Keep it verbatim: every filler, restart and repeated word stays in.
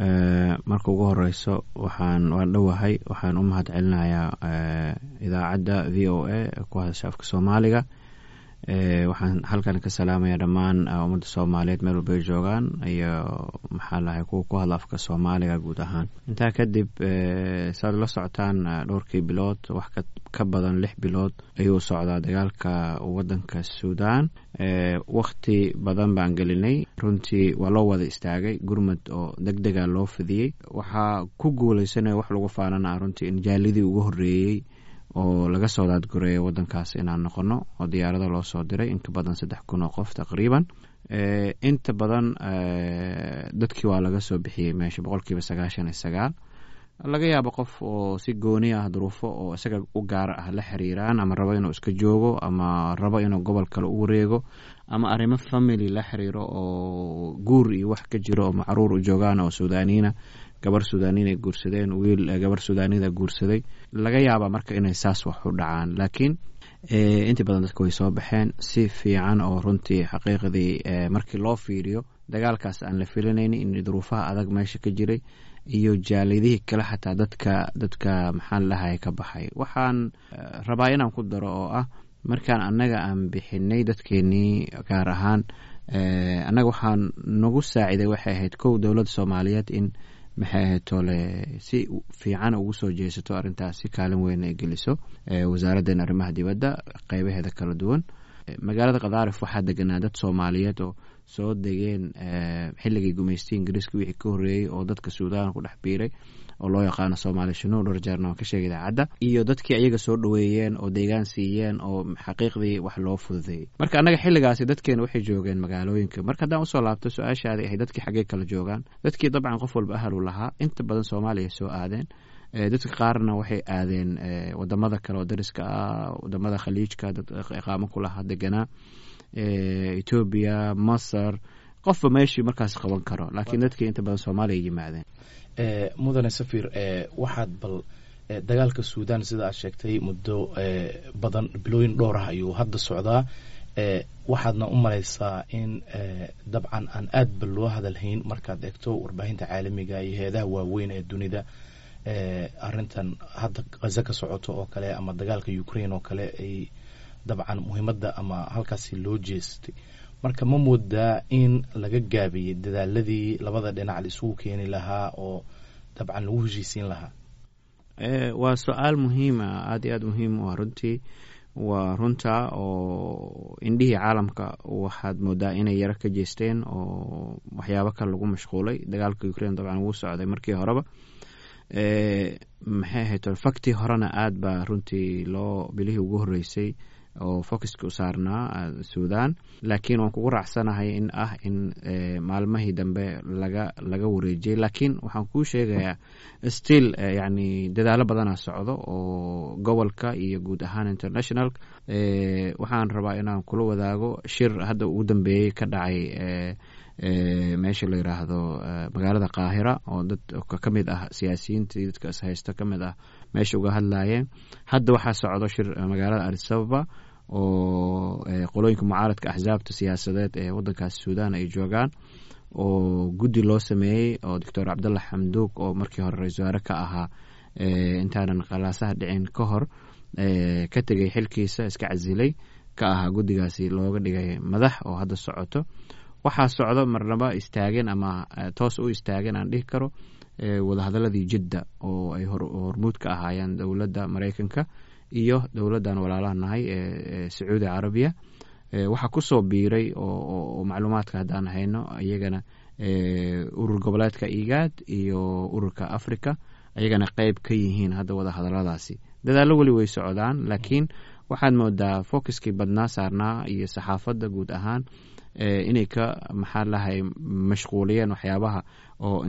Marka ugu horeyso, waxaan waan dhowahay. Waxaan u mahad celinayaa idaacadda V O A ku hadasha afka Soomaaliga. Waxaan halkan ka salaamaya dhammaan ummadda Soomaaliyeed meel walba ay joogaan, iyo maxaa lahay, kuwa ku hadla afka Soomaaliga guud ahaan. Intaa kadib, saad la socotaan, dhowrkii bilood, wax ka badan lix bilood ayuu socdaa dagaalka wadanka Suudaan. Wakti badan baan gelinay runtii, waa loo wada istaagay, gurmad oo deg dega loo fidiyey. Waxaa ku guuleysanaya, wax lagu faanana runtii, in jaalidii ugu horreeyey oo laga soo daadgureeyo wadankaas inaan noqono, oo diyaarado loo soo diray in ka badan saddex kun oo qof taqriiban. Inta badan dadkii waa laga soo bixiyey meesha, boqolkiiba sagaashan iyo sagaal. Laga yaabo qof oo si gooni ah, duruufo oo isaga u gaar ah la xiriiraan, ama rabo inuu iska joogo, ama rabo inuu gobol kale u wareego, ama arrimo family la xiriiro oo guur iyo wax ka jiro, oo macruur u joogaan oo Suudaaniina, gabar Suudaaniin ay guursadeen, wiil gabar Suudaanida guursaday, laga yaaba marka inay saas wax u dhacaan. Laakiin inta badan dadka way soo baxeen si fiican, oo runtii xaqiiqdii markii loo fiiriyo dagaalkaas aan la filanaynin in duruufaha adag meesha ka jiray iyo jaalidihii kale, xataa dadka dadka maxaan lahay ka baxay. Waxaan rabaa inaan ku daro oo ah, markaan annaga aan bixinay dadkeenii, gaar ahaan annaga waxaan nagu saaciday waxay ahayd, kow, dowladda Soomaaliyeed in, maxay ahayd tole, si fiican ugu soo jeesato arrintaas, si kaalin weyn ay geliso wasaaraddeena arrimaha dibadda qeybaheeda kala duwan. Magaalada Qadaarif waxaa deganaa dad Soomaaliyeed oo soo degeen xilligii gumaystii Ingiriiska wixii ka horreeyey, oo dadka Suudaan ku dhex biiray, oo loo yaqaano Soomaali Shunuur. Dhowr jeerna waan ka sheegay idaacadda, iyo dadkii ayaga soo dhoweeyeen oo deegaan siiyeen, oo xaqiiqdii wax loo fududeeyey. Marka annaga xilligaasi dadkeena waxay joogeen magaalooyinka. Marka haddaan usoo laabto su-aashaadii ahay dadkii xaggee kala joogaan, dadkii dabcan qof walba ahal u lahaa. Inta badan Soomaaliya soo aadeen, dadka qaarna waxay aadeen wadamada kale oo dariska ah, wadamada Khaliijka, dad iqaamo ku lahaa deganaa, Etoobiya, Masar, qofba meeshii markaas qaban karo. Laakiin dadkii inta badan Soomaaliya yimaadeen. Mudane safir, waxaad bal dagaalka Suudan, sida aad sheegtay, muddo badan, bilooyin dhowr ah ayuu hadda socdaa. Waxaadna u malaysaa in dabcan aan aad ba loo hadalhayn markaad eegto warbaahinta caalamiga iyo hay-adaha waaweyn ee dunida, arrintan hadda Gaza ka socoto oo kale ama dagaalka Ukraine oo kale ay dabcan muhiimadda ama halkaasi loo jeestay. Marka ma moodaa in laga gaabiyey dadaaladii labada dhinac la isugu keeni lahaa oo dabcan lagu heshiisiin lahaa? Waa su-aal muhiima, aada iyo aada muhiim u ah runtii. Waa runta oo indhihii caalamka waxaad moodaa inay yaro ka jeesteen oo waxyaabo kale lagu mashquulay. Dagaalka Ukraine dabcan wuu socday markii horeba, maxay ahayd, faktii horena aad baa runtii loo bilihii ugu horreysay oo focuska u saarnaa Suudan. Laakiin waan kugu raacsanahay in ah in maalmahii dambe laga laga wareejiyey. Laakiin waxaan kuu sheegayaa, still yani dadaalo badanaa socdo oo gobolka iyo guud ahaan international. Waxaan rabaa inaan kula wadaago shir hadda ugu dambeeyey ka dhacay meesha la yiraahdo magaalada Qaahira, oo dad ka mid ah siyaasiyiintii dadka is haysta ka mid ah meesha uga hadlayeen. Hadda waxaa socdo shir magaalada Addis Ababa, oo qolooyinka mucaaradka, axsaabta siyaasadeed ee wadankaas Suudan ay joogaan, oo guddi loo sameeyey, oo Doctor Cabdalla Xamduug, oo markii hore ra-isul wasaare ka ahaa intaanan qalaasaha dhicin ka hor ka tegay xilkiisa, iska casilay, ka ahaa guddigaasi looga dhigay madax, oo hadda socoto. Waxaa socdo, marnaba istaageen ama toos u istaageen aan dhihi karo, wadahadaladii Jidda oo ay hormuud ka ahaayeen dowladda Maraykanka iyo dowladdan walaalaha nahay ee Sacuudi Carabiya. Waxaa kusoo biiray, oo macluumaadka haddaan hayno, iyagana urur goboleedka IGAD iyo ururka Africa, ayagana qeyb ka yihiin hadda wadahadaladaasi. Dadaallo weli way socdaan, laakiin waxaad moodaa focuskii badnaa saarnaa iyo saxaafadda guud ahaan inay ka, maxaa lahay, mashquuliyeen waxyaabaha oo